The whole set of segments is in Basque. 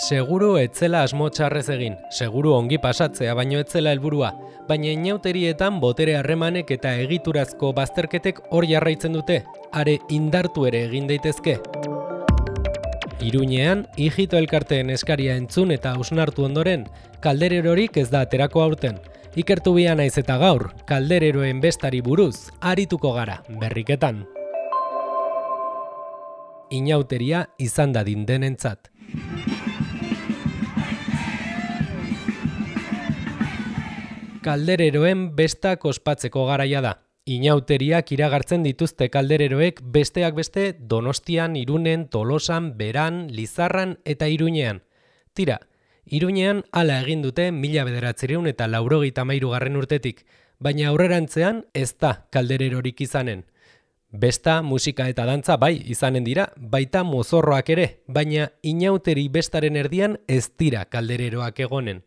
Seguru etzela asmo txarrez egin, seguru ongi pasatzea baino etzela helburua, baina inauterietan botere harremanek eta egiturazko bazterketek hor jarraitzen dute, are indartu ere egin daitezke. Iruñean, Ijito elkarteen eskaria entzun eta hausnartu ondoren, kaldererorik ez da aterako aurten. Ikertu bia naiz eta gaur, kaldereroen bestari buruz, arituko gara, berriketan. Inauteria izan dadin denentzat. Kaldereroen bestak ospatzeko garaia da. Inauteriak iragartzen dituzte kaldereroek besteak beste Donostian, Irunen, Tolosan, Beran, Lizarran eta Iruñean. Tira, Iruñean hala egin dute 1993 urtetik, baina aurrerantzean ez da kaldererorik izanen. Besta, musika eta dantza bai izanen dira, baita mozorroak ere, baina inauteri bestaren erdian ez dira kaldereroak egonen.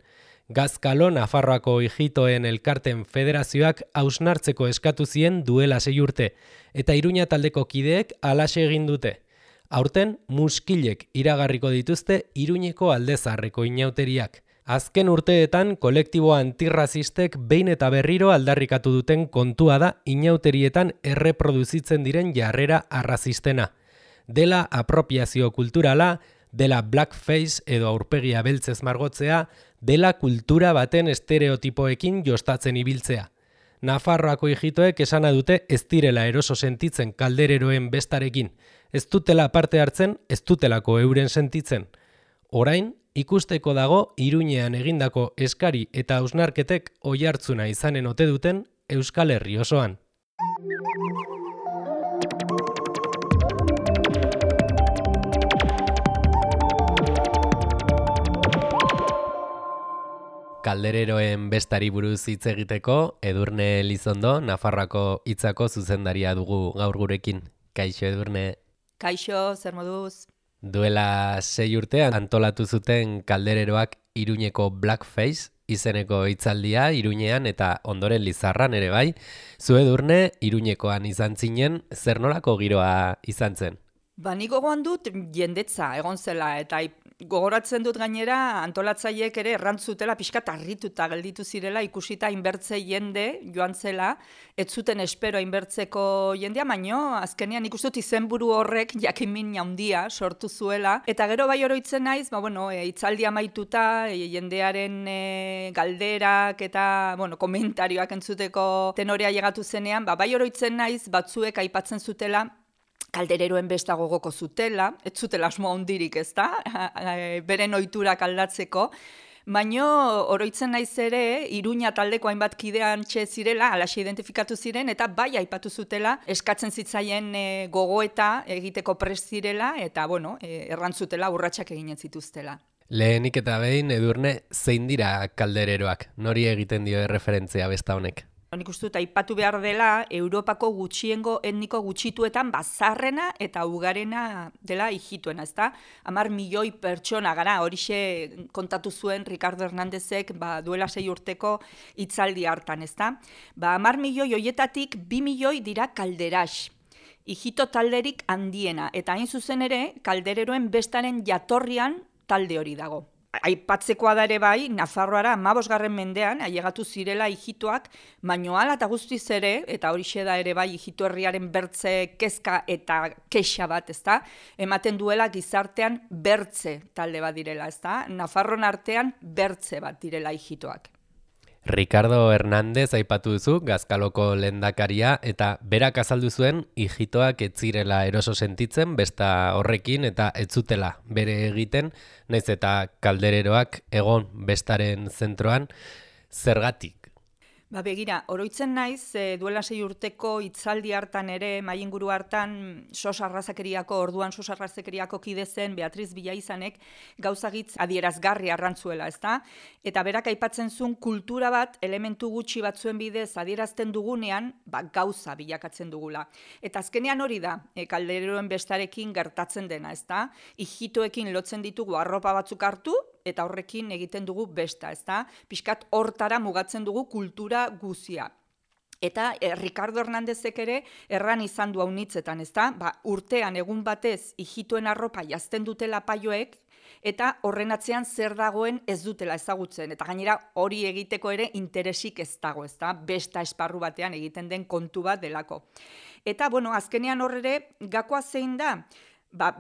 Gazkalo Nafarroako Ijitoen elkarten federazioak hausnartzeko eskatu zien duela 6 urte, eta Iruña taldeko kideek halaxe egin dute. Aurten muskilek iragarriko dituzte Iruñeko aldezaharreko inauteriak. Azken urteetan kolektibo antirrazistek behin eta berriro aldarrikatu duten kontua da inauterietan erreproduzitzen diren jarrera arrazistena. Dela apropiazio kulturala, dela blackface edo aurpegia beltzez margotzea, dela kultura baten estereotipoekin jostatzen ibiltzea. Nafarroako Ijitoek esana dute ez direla eroso sentitzen kaldereroen bestarekin. Ez dutela parte hartzen, ez dutelako euren sentitzen. Orain, ikusteko dago Iruñean egindako eskari eta hausnarketek oihartzuna izanen ote duten Euskal Herri osoan. Kaldereroen bestari buruz hitz egiteko, Edurne Elizondo, Nafarroako Hitzako zuzendaria dugu gaur gurekin. Kaixo, Edurne. Kaixo, zer moduz? Duela 6 urtean antolatu zuten kaldereroak Iruñeko Blackface izeneko hitzaldia Iruñean eta ondoren Lizarran ere bai. Zu, Edurne, Iruñekoan izan zinen, zer nolako giroa izan zen? Nik gogoan dut jendetza egon zela eta gogoratzen dut gainera antolatzaileek ere errantzutela pixkat harrituta gelditu zirela ikusita inbertze jende joan zela, ez zuten espero inbertzeko jendea, baino azkenean ikusten dut izenburu horrek jakinmin handia sortu zuela eta gero bai oroitzen naiz, hitzaldia amaituta jendearen galderak eta komentarioak entzuteko tenorea llegatu zenean, bai oroitzen naiz batzuek aipatzen zutela kaldereroen besta gogoko zutela, ez zutela asmo handirik, ezta? Beren ohiturak aldatzeko, baino oroitzen naiz ere Iruña taldeko hainbat kidean zirela, halaxe identifikatu ziren eta bai aipatu zutela eskatzen zitzaien gogoeta egiteko prest zirela eta errantzutela urratsak egin zituztela. Lehenik eta behin, Edurne, zein dira kaldereroak? Nori egiten dio erreferentzia besta honek? Nik uste dut aipatu behar dela Europako gutxiengo etniko gutxituetan bazarrena eta ugarena dela Ijitoena, ezta? 10 milioi pertsona gara, horixe kontatu zuen Ricardo Hernándezek duela 6 urteko hitzaldi hartan, ezta? 10 milioi hoietatik 2 milioi dira kalderax. Ijito talderik handiena, eta hain zuzen ere kaldereroen bestaren jatorrian talde hori dago. Aipatzekoa da ere bai, Nafarroara 15. mendean ailegatu zirela Ijitoak, baino hala eta guztiz ere, eta horixe da ere bai Ijito herriaren bertze kezka eta kexa bat, ezta? Ematen duela gizartean bertze talde bat direla, ezta? Nafarron artean bertze bat direla Ijitoak. Ricardo Hernández aipatu duzu, Gazkaloko lehendakaria, eta berak azaldu zuen Ijitoak ez zirela eroso sentitzen besta horrekin eta ez zutela bere egiten, naiz eta kaldereroak egon bestaren zentroan, zergatik? Begira, oroitzen naiz, duela 6 urteko hitzaldi hartan ere, mainguru hartan, orduan sos arrazakeriako kide zen Beatriz Villaizanek gauzagitz adierazgarri arrantzuela, ezta? Eta berak aipatzen zuen kultura bat, elementu gutxi batzuen bidez adierazten dugunean, gauza bilakatzen dugula. Eta azkenean hori da, kaldereroen bestarekin gertatzen dena, ezta? Ijitoekin lotzen ditugu arropa batzuk hartu, eta horrekin egiten dugu besta, ezta? Pixkat hortara mugatzen dugu kultura guzia. Eta Ricardo Hernándezek ere erran izan du haunitzetan, ezta? Urtean egun batez Ijitoen arropa jazten dutela paioek, eta horren atzean zer dagoen ez dutela ezagutzen, eta gainera hori egiteko ere interesik ez dago, ezta? Besta esparru batean egiten den kontu bat delako. Eta, azkenean horre, gakoa zein da,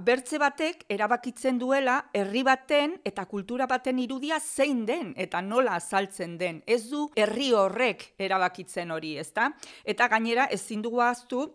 bertze batek erabakitzen duela herri baten eta kultura baten irudia zein den eta nola azaltzen den. Ez du herri horrek erabakitzen hori, ezta? Eta gainera ezin dugu ahaztu,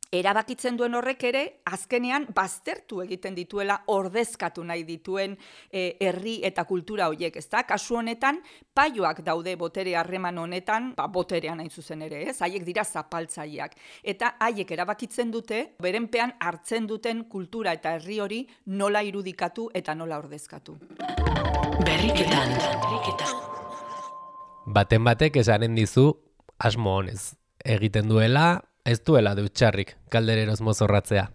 erabakitzen duen horrek ere, azkenean baztertu egiten dituela ordezkatu nahi dituen herri eta kultura horiek, ezta? Kasu honetan, paioak daude botere harreman honetan, boterean hain zuzen ere, ez? Haiek dira zapaltzaileak. Eta haiek erabakitzen dute, berenpean hartzen duten kultura eta herri hori nola irudikatu eta nola ordezkatu. Berriketan. Baten batek esanen dizu asmo honez. Egiten duela, ez duela dutxarrik kaldereroz mozorratzea.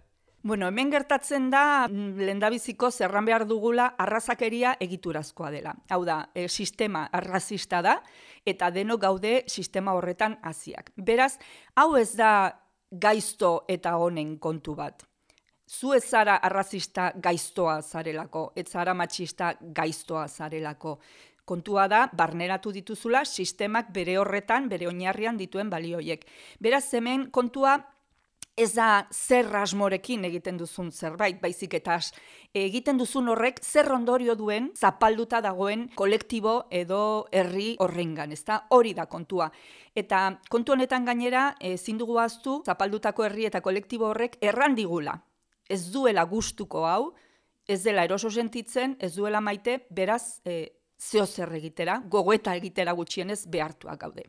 Hemen gertatzen da, lehendabiziko zerran behar dugula arrazakeria egiturazkoa dela. Hau da, sistema arrazista da, eta denok gaude sistema horretan hasiak. Beraz, hau ez da gaizto eta honen kontu bat. Zu ez zara arrazista gaiztoa zarelako, ez zara matxista gaiztoa zarelako. Kontua da, barneratu dituzula sistemak bere horretan, bere oinarrian dituen balioiek. Beraz, hemen kontua ez da zer asmorekin egiten duzun zerbait, baizik eta egiten duzun horrek zer ondorio duen zapalduta dagoen kolektibo edo herri horrengan, ezta? Hori da kontua. Eta kontu honetan gainera, ezin dugu ahaztu, zapaldutako herri eta kolektibo horrek errandigula. Ez duela gustuko hau, ez dela eroso sentitzen, ez duela maite, beraz, zeo zer egitera, gogoeta egitera gutxienez behartuak gaude.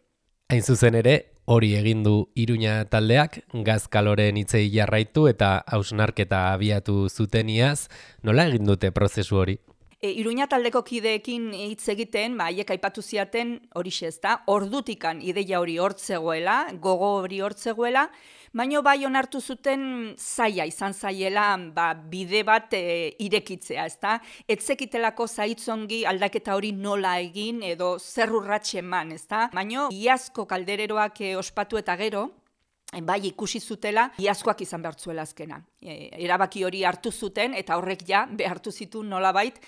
Hain zuzen ere, hori egin du Iruña taldeak, gazkaloren hitzei jarraitu eta hausnarketa abiatu zuteniaz, nola egin dute prozesu hori? Iruña taldeko kideekin hitz egiten, haiek aipatu ziaten horixe ezta, ordutikan ideia hori hortzegoela, gogo hori hortzegoela, baino bai onartu zuten zaila izan zaiela bide bat irekitzea, ezta? Etzekitelako zaitzongi aldaketa hori nola egin edo zer urrats eman, ezta? Baino iazko kaldereroak ospatu eta gero, bai ikusi zutela, iazkoak izan behartzuela azkena. Erabaki hori hartu zuten, eta horrek ja behartu zituen nolabait,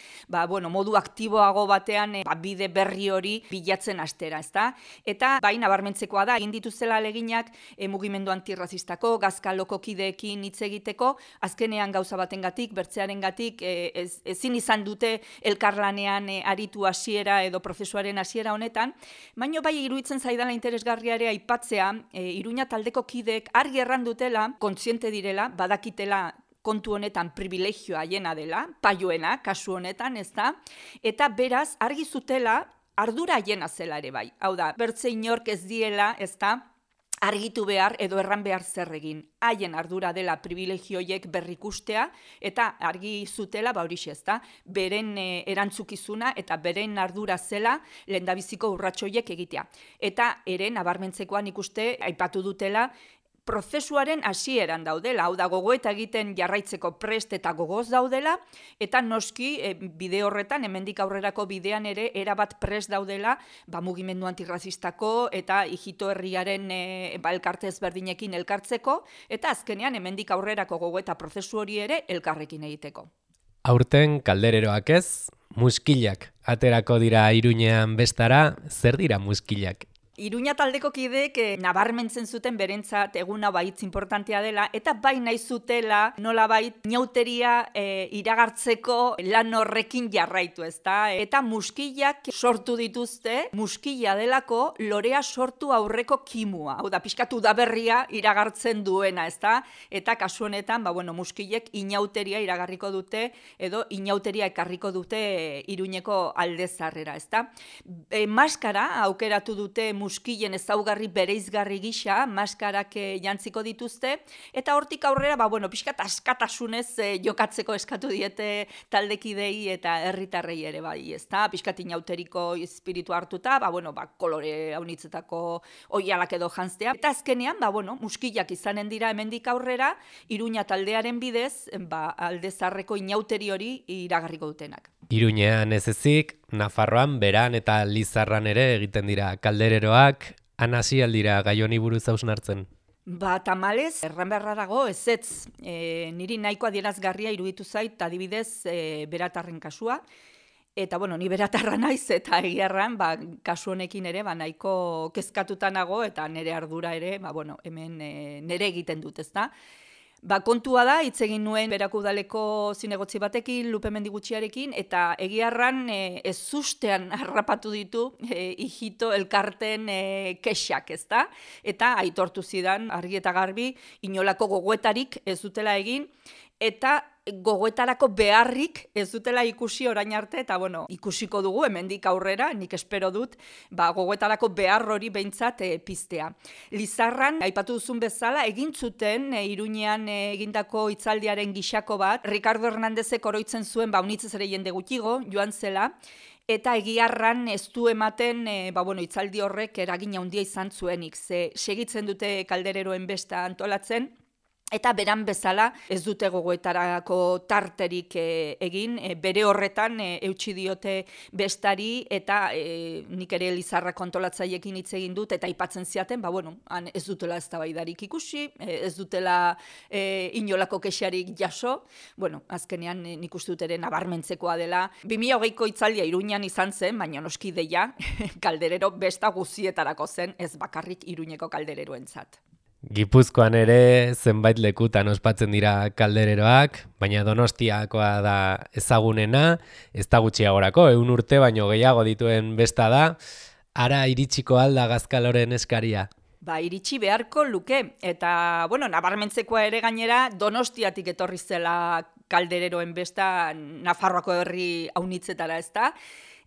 modu aktiboago batean bide berri hori bilatzen hastera, ezta? Eta bai nabarmentzekoa da, egin dituzela aleginak mugimendu antirrazistako, gazkaloko kideekin hitz egiteko, azkenean gauza batengatik, bertzearengatik ezin izan dute elkarlanean aritu hasiera edo prozesuaren hasiera honetan, baino bai iruditzen zaidala interesgarria ere aipatzea, Iruña taldeko kideek argi errandutela, kontziente direla, badakitela kontu honetan privilegioa hiena dela, paioena, kasu honetan, ez da, eta beraz, argi zutela, ardura hiena zela ere bai. Hau da, bertze inork ez diela, ez da, argitu behar edo erran behar zer egin. Haien ardura dela privilegioiek berrikustea, eta argi zutela, horixe ez da, beren erantzukizuna eta beren ardura zela lehendabiziko urratsoiek egitea. Eta ere, nabarmentzekoan ikuste, aipatu dutela, prozesuaren hasieran daudela, hau da gogoeta egiten jarraitzeko prest eta gogoz daudela, eta noski bide horretan, hemendik aurrerako bidean ere, erabat prest daudela, mugimendu antirrazistako eta hijito herriaren elkarte ezberdinekin elkartzeko, eta azkenean hemendik aurrerako gogoeta prozesu hori ere elkarrekin egiteko. Aurten kaldereroak ez, muskilak aterako dira Iruñean bestara, zer dira muskilak? Iruña taldeko kideek nabarmentzen zuten berentzat eguna baitz importantea dela, eta bai nahi zutela nolabait inauteria iragartzeko lan horrekin jarraitu, ezta? Eta muskilak sortu dituzte, muskila delako lorea sortu aurreko kimua. Hau da, pixkatu udaberria iragartzen duena, ezta? Eta kasu honetan, muskilek inauteria iragarriko dute, edo inauteria ekarriko dute Iruñeko aldezarrera, ezta? Maskara aukeratu dute muskilen ezaugarri bereizgarri gisa, maskarak jantziko dituzte, eta hortik aurrera, pixkat askatasunez jokatzeko eskatu diete taldekidei eta herritarrei ere bai, ezta? Pixkat inauteriko espiritu hartuta, kolore haunitzetako oialak edo jantztea. Eta azkenean, muskilak izanen dira hemendik aurrera, Iruña taldearen bidez, aldezarreko inauteri hori iragarriko dutenak. Iruñean ez ezik, Nafarroan, Beran eta Lizarran ere egiten dira kaldereroak, han hasi aldira gai honi buruz hausnartzen. Tamalez, erran beharra dago, ezetz, niri nahiko adierazgarria iruditu zait, adibidez, beratarren kasua. Eta, ni beratarra naiz, eta egiarran, kasu honekin ere, nahiko kezkatuta nago, eta nire ardura ere, hemen nire egiten dut, ezta? Kontua da, hitz egin nuen Berako udaleko zinegotzi batekin, Lupe Mendigutxiarekin, eta egiarran ez ustean harrapatu ditu hijito elkarten kexak, ezta? Eta aitortu zidan, argi eta garbi, inolako gogoetarik ez dutela egin, eta gogoetarako beharrik ez dutela ikusi orain arte, eta ikusiko dugu, hemendik aurrera, nik espero dut, gogoetarako behar hori behintzat piztea. Lizarran, aipatu duzun bezala, egin zuten Iruñean egindako hitzaldiaren gixako bat, Ricardo Hernándezek oroitzen zuen, unitzez ere jende gutxigo, joan zela, eta egiarran ez du ematen, hitzaldi horrek eragina handia izan zuenik, segitzen dute kaldereroen besta antolatzen, eta beran bezala ez dute gogoetarako tarterik egin, bere horretan eutsi diote bestari, eta nik ere Lizarra kontolatzaiekin hitz egin dut, eta aipatzen ziaten, han ez dutela eztabaidarik ikusi, ez dutela inolako kexarik jaso, azkenean nik uste dut ere nabarmentzekoa dela. 2020ko hitzaldia Iruñan izan zen, baina noski deia, kalderero besta guzietarako zen, ez bakarrik Iruñeko kaldereroentzat. Gipuzkoan ere zenbait lekutan ospatzen dira kaldereroak, baina Donostiakoa da ezagunena, ez da gutxiagorako, 100 urte baino gehiago dituen besta da, ara iritsiko alda Gazkaloren eskaria. Iritsi beharko luke, eta, nabarmentzekoa ere gainera Donostiatik etorri zela kaldereroen besta Nafarroako herri haunitzetara, ezta?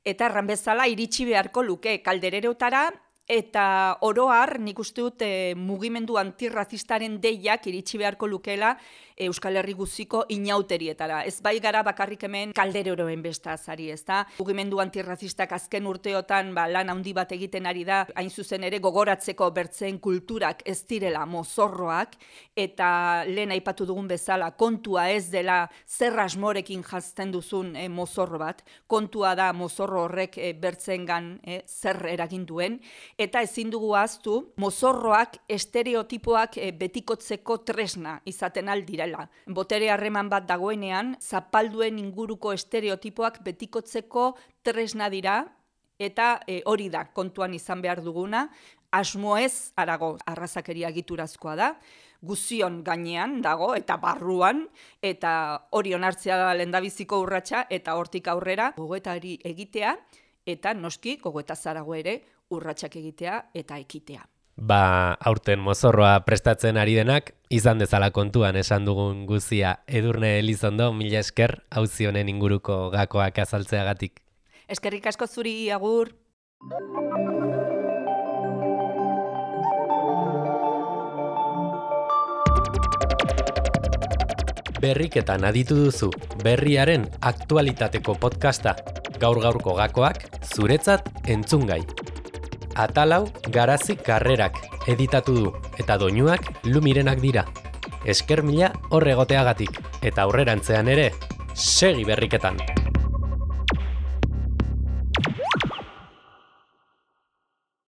Eta erran bezala iritsi beharko luke kaldererotara, eta oroar nik uste dut mugimendu antirrazistaren deiak iritsi beharko lukeela Euskal Herri guziko inauterietara. Ez bai gara bakarrik hemen kaldereroen besta azari, ezta? Mugimendu antirrazistak azken urteotan lan handi bat egiten ari da, hain zuzen ere gogoratzeko bertzeen kulturak ez direla mozorroak, eta lehen aipatu dugun bezala kontua ez dela zer asmorekin jazten duzun mozorro bat, kontua da mozorro horrek bertzeengan zer eragin duen, eta ezin dugu ahaztu mozorroak estereotipoak betikotzeko tresna izaten aldirela. Botere harreman bat dagoenean, zapalduen inguruko estereotipoak betikotzeko tresna dira, eta hori da kontuan izan behar duguna, asmo ez harago arrazakeria egiturazkoa da, guzion gainean dago eta barruan, eta hori onartzea da lehendabiziko urratsa, eta hortik aurrera gogoetari egitea, eta noski gogoetazarago ere urratsak egitea eta ekitea. Aurten mozorroa prestatzen ari denak, izan dezala kontuan esan dugun guzia. Edurne Elizondo, mila esker, auzi honen inguruko gakoak azaltzeagatik. Eskerrik asko zuri, agur. Berriketan aditu duzu, berriaren aktualitateko podcasta. Gaur-gaurko gakoak, zuretzat entzungai. Atalau Garazi Karrerak editatu du, eta doinuak Lumirenak dira. Esker mila hor egoteagatik, eta aurrerantzean ere, segi berriketan!